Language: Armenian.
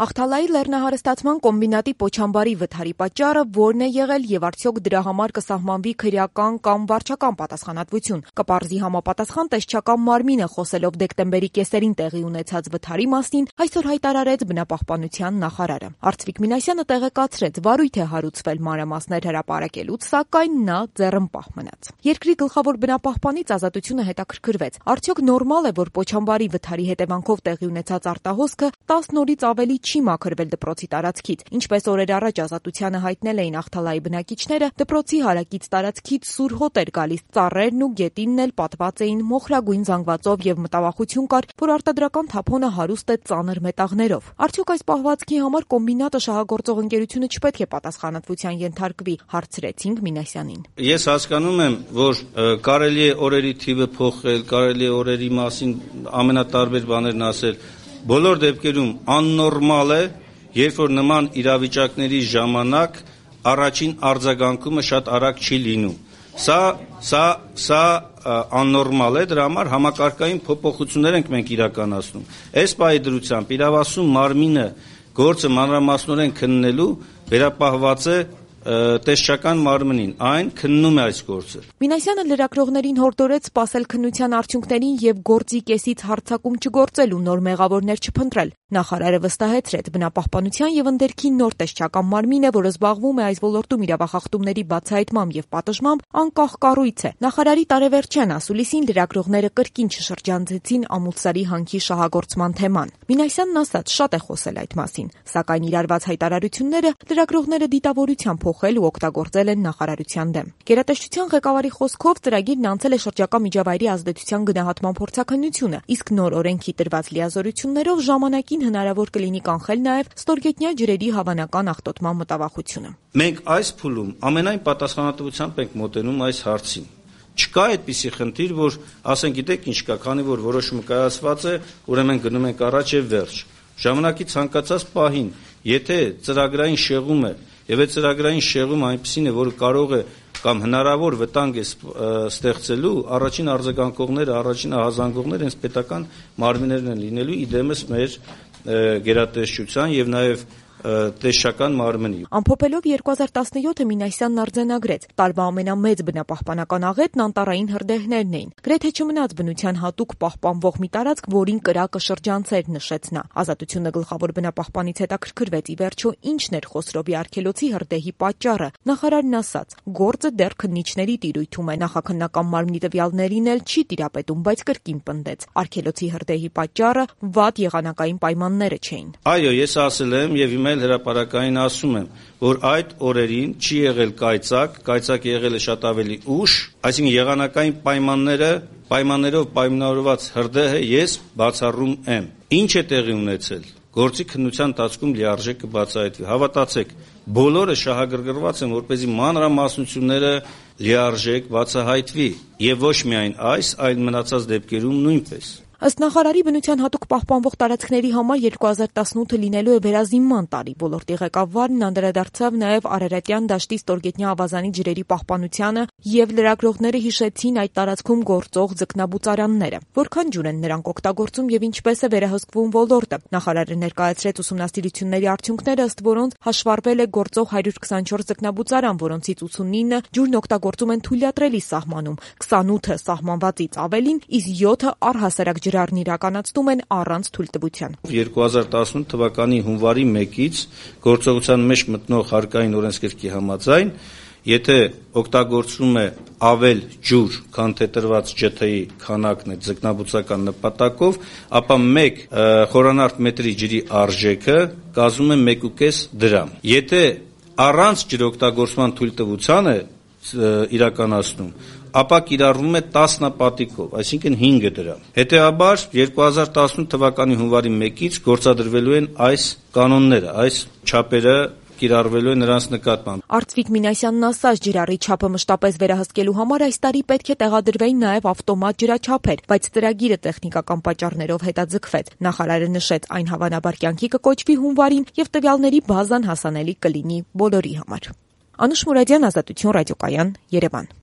Աղթալայի լեռնահարստացման կոմբինատի Պոչամբարի վթարի պատճառը որն է եղել եւ արդյոք դրա համար կսահմանվի քրեական կամ վարչական պատասխանատվություն։ Կպարզի համապատասխան տեսչական մարմինը խոսելով դեկտեմբերի կեսերին տեղի ունեցած վթարի մասին այսօր հայտարարեց բնապահպանության նախարարը։ Արծվիկ Մինասյանը տեղեկացրեց, վարույթ է հարուցվել մանրամասներ հրապարակելուց, սակայն նա ձեռնպահ մնաց։ Երկրի գլխավոր բնապահպանից Ազատությունը հետաքրքրվեց. արդյոք նորմալ է, որ Պոչամբարի վթարի հետևանքով տեղի ունեցած արտահոսքը 10 նորից ավելի չի մաքրվել դպրոցի տարածքից։ Ինչպես օրեր առաջ Ազատությանը հայտնել էին Աղթալայի բնակիչները, դպրոցի հարակից տարածքից սուր հոտ էր գալիս, ծառերն ու գետինն էլ պատված էին մոխրագույն զանգվածով եւ մտավախություն կար, որ արտադրական թափոնը հարուստ է ծանր մետաղներով։ Արդյոք այս պահվածքի համար կոմբինատը շահագործող ընկերությունը չպետք է պատասխանատվության ենթարկվի, հարցրեցինք Մինասյանին։ Ես հասկանում եմ, որ կարելի է օրերի թիվը փոխել, կարելի է օրերի մասին ամենատարբեր բաներն ասել։ Բոլոր դեպքերում աննորմալ է, երբ որ նման իրավիճակների ժամանակ առաջին արձագանքումը շատ արագ չի լինում։ Սա աննորմալ է, դրա համար համակարգային փոփոխություններ ենք մենք իրականացնում։ Այս պահի դրությամբ իրավասու մարմինը գործը մանրամասնորեն քննելու վերապահված է տեսչական մարմնին, այն քննում է այս գործը։ Մինասյանը լրագրողներին հորդորեց սպասել քննության արդյունքներին եւ գործի կեսից հարձակում չգործել ու նոր մեղավորներ չփնտրել։ Նախարարը վստահեցրեց, բնապահպանության եւ ընդերքի նոր տեսչական մարմին է, որը զբաղվում է այս ոլորտում իրավախախտումների բացահայտմամբ եւ պատժմամբ, անկախ կառույց է։ Նախարարի տարեվերջյան ասուլիսին լրագրողները կրկին չշրջանցեցին Ամուլսարի հանքի շահագործման թեման։ Մինասյանն ասաց, շատ է խոսել այդ մասին, սակայն իրարված հայտարարությունները լրագրողները դիտավորությամբ փոխել ու օգտագործել են նախարարության դեմ։ Գերատեսչության ղեկավարի խոսքով ծրագիրն անցել է շրջակա միջավայրի ազդեցության գնահատման փորձաքննությունը, իսկ նոր օրենքի տրված լիազորություններով ժամանակին հնարավոր կլինի կանխել նաև ստորգետնյա ջրերի հավանական աղտոտման մտավախությունը։ Մենք այս փուլում ամենայն պատասխանատվությամբ ենք մոտենում այս հարցին։ Չկա այդպիսի խնդիր, որ ասենք գիտեք ինչ կա, քանի որ որոշումը կայացված է, ուրեմն գնում ենք առաջ եւ վերջ։ Ժամանակի ցանկացած պահին, եթե ծրագրային շեղում է եւ այդ ծրագրային շեղումը այնպեսին է, որ կարող է կամ հնարավոր վտանգ է ստեղծելու, առաջին արձագանքողները, առաջին ահազանգողները հենց պետական մարմիններն են լինելու, իդեմս մեր գերատեսչության եւ նաեւ տեսչական մարմնի։ Ամփոփելով 2017-ը Մինասյանն արձանագրեց. տարվա ամենամեծ բնապահպանական աղետն անտառային հրդեհներն էին։ Գրեթե չմնաց բնության հատուկ պահպանվող մի տարածք, որին կրակը շրջանցեր, նշեց նա։ Ազատությունը գլխավոր բնապահպանից հետաքրքրվեց ի վերջո ինչն էր Խոսրովի արգելոցի հրդեհի պատճառը։ Նախարարն ասաց. գործը դեռ քննիչների տիրույթում է, նախաքննական մարմնի տվյալներին էլ չի տիրապետում, բայց կրկին պնդեց. արգելոցի հրդեհի պատճառը վատ եղանակային պայմանները չէին։ Այո, ես ասել եմ եւ հիմա հրապարակային ասում եմ, որ այդ օրերին չի եղել կայծակ եղել է շատ ավելի ուշ, այսինքն եղանակային պայմաններով պայմանավորված հրդեհը ես բացառում եմ։ Ինչ է տեղի ունեցել։ Գործի քննության ընթացքում լիարժեք կբացահայտվի։ Հավատացեք, բոլորը շահագրգռված են, որպեսզի մանրամասնությունները լիարժեք բացահայտվի, եւ ոչ միայն այս, այլ մնացած դեպքերում նույնպես։ Ըստ նախարարի բնության հատուկ պահպանվող տարածքների համար 2018-ը լինելու է վերազինման տարի։ Ոլորտի ղեկավարն անդրադարձավ նաև Արարատյան դաշտի ստորգետնյա ավազանի ջրերի պահպանությանը եւ լրագրողները հիշեցին այդ տարածքում գործող ձկնաբուծարանները։ Որքան ջուր են նրանք օգտագործում եւ ինչպես է վերահսկվում ոլորտը։ Նախարարը ներկայացրեց ուսումնասիրությունների արդյունքները, ըստ որոնց հաշվառվել է գործող 124 ձկնաբուծարան, որոնցից 89-ը ջուրն օգտագործում են թույլատրելի սահմանում, 28-ը սահմանվածից ավելին, իսկ 7-ը առհասարակ ջրառն իրականացնում են առանց թույլտվության։ 2018 թվականի հունվարի 1-ից գործողության մեջ մտնող հարկային օրենսգրքի համաձայն, եթե օգտագործվում է ավել ջուր, քան թե տրված ջթ-ի քանակն է ձկնաբուծական նպատակով, ապա 1 խորանարդ մետրի ջրի արժեքը կազմում է 1.5 դրամ։ Եթե առանց ջրօգտագործման թույլտվության է իրականացնում, ապա կիրառվում է 10 պատիկով, այսինքն 5 դրամ։ Հետևաբար 2018 թվականի հունվարի 1-ից գործադրվելու են այս կանոնները, այս չափերը կիրառվելու են նրանց նկատմամբ։ Արծվիկ Մինասյանն ասաց, ջրառի չափը մշտապես վերահսկելու համար այս տարի պետք է տեղադրվեին նաև ավտոմատ ջրաչափեր, բայց ծրագիրը տեխնիկական պատճառներով հետաձգվեց։ Նախարարը նշեց, այն հավանաբար կյանքի կկոչվի հունվարին եւ տվյալների բազան հասանելի կլինի բոլորի համար։ Անուշ Մուրադյան, Ազատություն ռադիոկայան, Երևան։